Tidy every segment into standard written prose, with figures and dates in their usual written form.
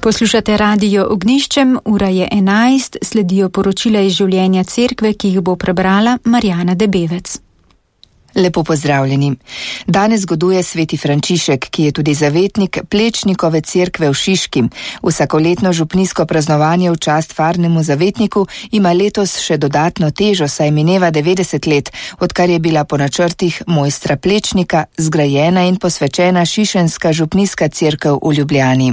Poslušate Radio Ognjiščem, ura je 11, sledijo poročila iz življenja cerkve, ki jih bo prebrala Marjana Debevec. Lepo pozdravljeni. Danes goduje sveti Frančišek, ki je tudi zavetnik Plečnikove cerkve v Šiški. Vsakoletno župnijsko praznovanje v čast farnemu zavetniku ima letos še dodatno težo, saj mineva 90 let, odkar je bila po načrtih mojstra Plečnika zgrajena in posvečena šišenska župnijska cerkev v Ljubljani.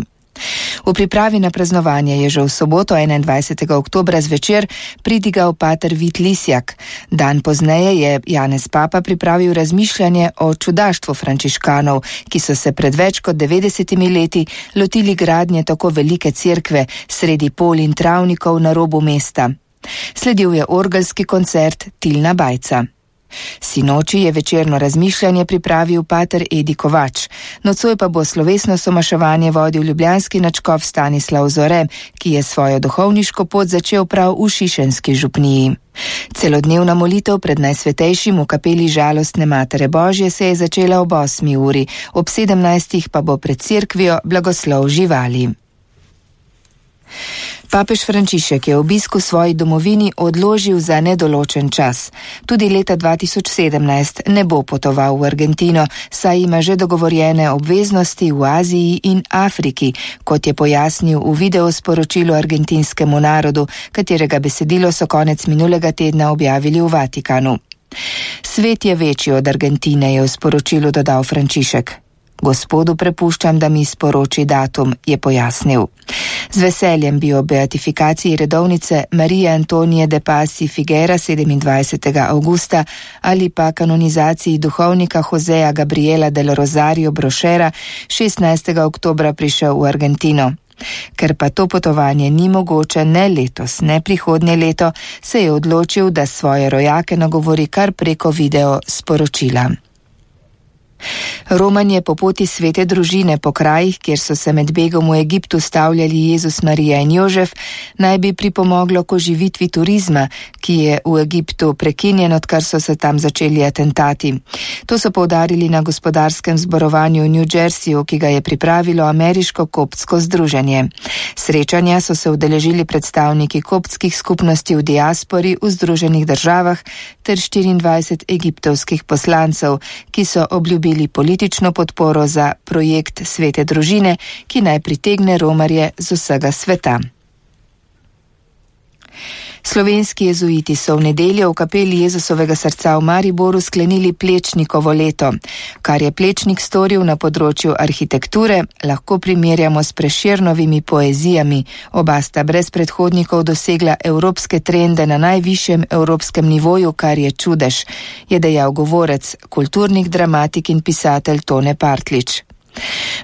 V pripravi na praznovanje je že v soboto 21. oktobra zvečer pridigal pater Vit Lisjak. Dan pozneje je Janez Papa pripravil razmišljanje o čudaštvu frančiškanov, ki so se pred več kot 90 leti lotili gradnje tako velike cerkve sredi pol in travnikov na robu mesta. Sledil je orgelski koncert Tilna Bajca. Sinoči je večerno razmišljanje pripravil pater Edi Kovač. Nocoj pa bo slovesno somaševanje vodil ljubljanski nadškof Stanislav Zore, ki je svojo duhovniško pot začel prav v šišenski župniji. Celodnevna molitev pred Najsvetejšim v kapeli Žalostne Matere Božje se je začela ob 8. uri, ob 17. pa bo pred cerkvijo blagoslov živali. Papež Frančišek je obisk v svoji domovini odložil za nedoločen čas. Tudi leta 2017 ne bo potoval v Argentino, saj ima že dogovorjene obveznosti v Aziji in Afriki, kot je pojasnil v videosporočilu argentinskemu narodu, katerega besedilo so konec minulega tedna objavili v Vatikanu. Svet je večji od Argentine, je v sporočilu dodal Frančišek. Gospodu prepuščam, da mi sporoči datum, je pojasnil. Z veseljem bi o beatifikaciji redovnice Marije Antonije de Pasi Figuera 27. augusta ali pa kanonizaciji duhovnika Joseja Gabriela del Rosario Brošera 16. oktobra prišel v Argentino. Ker pa to potovanje ni mogoče ne letos, ne prihodnje leto, se je odločil, da svoje rojake nagovori kar preko video sporočila. Romanje po poti svete družine po krajih, kjer so se med begom v Egiptu stavljali Jezus, Marija in Jožef, naj bi pripomoglo k oživitvi turizma, ki je v Egiptu prekinjen, odkar so se tam začeli atentati. To so poudarili na gospodarskem zborovanju v New Jerseyju, ki ga je pripravilo ameriško koptsko združenje. Srečanja so se udeležili predstavniki koptskih skupnosti v diaspori v Združenih državah ter 24 egiptovskih poslancev, ki so obljubili politično podporo za projekt svete družine, ki naj pritegne romarje z vsega sveta. Slovenski jezuiti so v nedeljo v kapeli Jezusovega srca v Mariboru sklenili Plečnikovo leto. Kar je Plečnik storil na področju arhitekture, lahko primerjamo s Prešernovimi poezijami. Oba sta brez predhodnikov dosegla evropske trende na najvišjem evropskem nivoju, kar je čudež, je dejal govorec, kulturnik, dramatik in pisatelj Tone Partlič.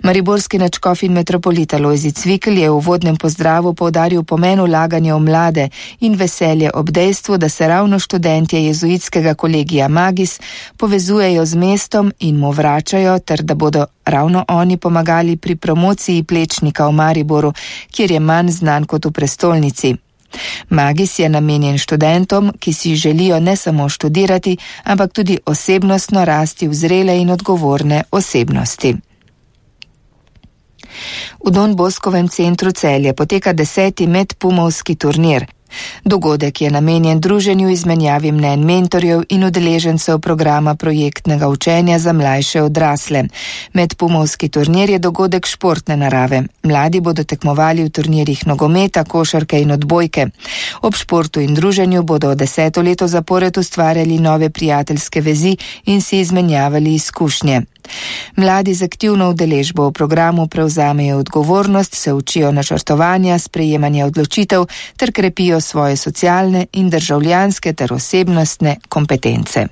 Mariborski nadškof in metropolita Lojzi Cvikl je v uvodnem pozdravu poudaril pomen vlaganja v mlade in veselje ob dejstvu, da se ravno študentje jezuitskega kolegija Magis povezujejo z mestom in mu vračajo, ter da bodo ravno oni pomagali pri promociji Plečnika v Mariboru, kjer je manj znan kot v prestolnici. Magis je namenjen študentom, ki si želijo ne samo študirati, ampak tudi osebnostno rasti v zrele in odgovorne osebnosti. V Don Boskovem centru Celje poteka 10. medpumovski turnir. Dogodek je namenjen druženju, izmenjavi mnenj mentorjev in udeležencev programa projektnega učenja za mlajše odrasle. Medpumovski turnir je dogodek športne narave. Mladi bodo tekmovali v turnirjih nogometa, košarke in odbojke. Ob športu in druženju bodo 10. leto zapored ustvarjali nove prijateljske vezi in si izmenjavali izkušnje. Mladi z aktivno udeležbo v programu prevzamejo odgovornost, se učijo načrtovanja, sprejemanja odločitev ter krepijo svoje socialne in državljanske ter osebnostne kompetence.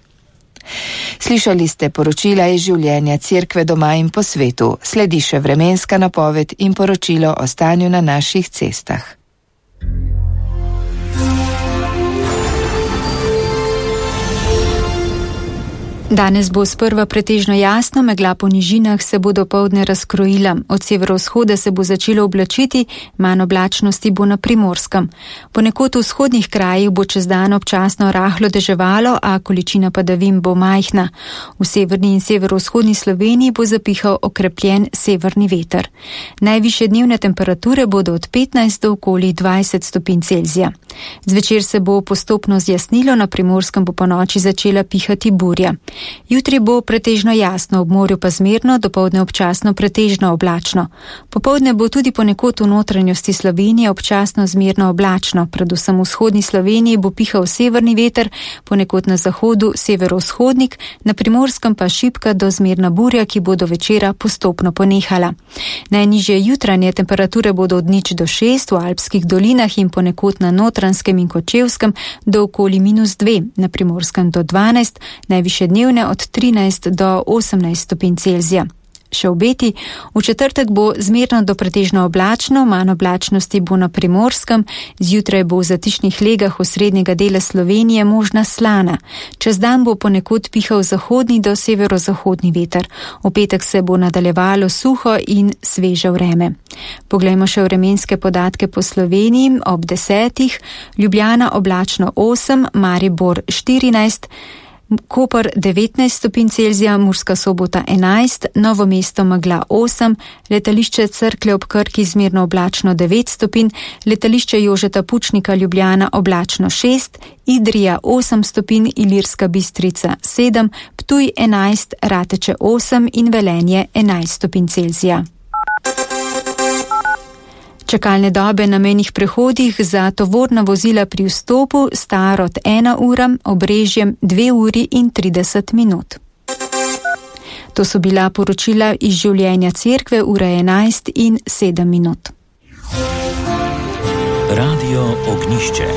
Slišali ste poročila iz življenja cerkve doma in po svetu. Sledi še vremenska napoved in poročilo o stanju na naših cestah. Danes bo sprva pretežno jasno, megla po nižinah se bo dopoldne razkrojila. Od severovzhoda se bo začelo oblačiti, manj oblačnosti bo na Primorskem. Ponekod v vzhodnih krajih bo čez dan občasno rahlo deževalo, a količina padavin bo majhna. V severni in severovzhodni Sloveniji bo zapihal okrepljen severni veter. Najvišje dnevne temperature bodo od 15 do okoli 20 stopinj Celzija. Zvečer se bo postopno zjasnilo, na Primorskem bo ponoči začela pihati burja. Jutri bo pretežno jasno, ob morju pa zmerno, dopoldne občasno pretežno oblačno. Popoldne bo tudi ponekod v notranjosti Slovenije občasno zmerno oblačno, predvsem v vzhodni Sloveniji bo pihal severni veter, ponekod na zahodu severovzhodnik, na Primorskem pa šibka do zmerna burja, ki bo do večera postopno ponehala. Najnižje jutranje temperature bodo od 0 do 6 v alpskih dolinah in ponekod na Notranjskem in Kočevskem do okoli -2, na Primorskem do 12, najvišje dnevne od 13 do 18 stopinj Celzija. Še obeti, v četrtek bo zmerno do pretežno oblačno, manj oblačnosti bo na Primorskem, zjutraj bo v zatišnih legah osrednjega dela Slovenije možna slana. Čez dan bo ponekod pihal zahodni do severozahodni veter. V petek se bo nadaljevalo suho in sveže vreme. Poglejmo še vremenske podatke po Sloveniji. Ob 10. Ljubljana oblačno 8, Maribor 14, Koper 19 stopinj Celzija, Murska Sobota 11, Novo mesto megla 8, letališče Cerklje ob Krki zmerno oblačno 9 stopinj, letališče Jožeta Pučnika Ljubljana oblačno 6, Idrija 8 stopinj, Ilirska Bistrica 7, Ptuj 11, Rateče 8 in Velenje 11 stopinj Celzija. Čakalne dobe na mejnih prehodih za tovorna vozila pri vstopu sta od 1 ura, Obrežjem 2 uri in 30 minut. To so bila poročila iz življenja cerkve, ura 11 in 7 minut. Radio Ognišče.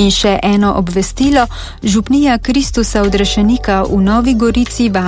In še eno obvestilo, župnija Kristusa Odrešenika v Novi Gorici vabi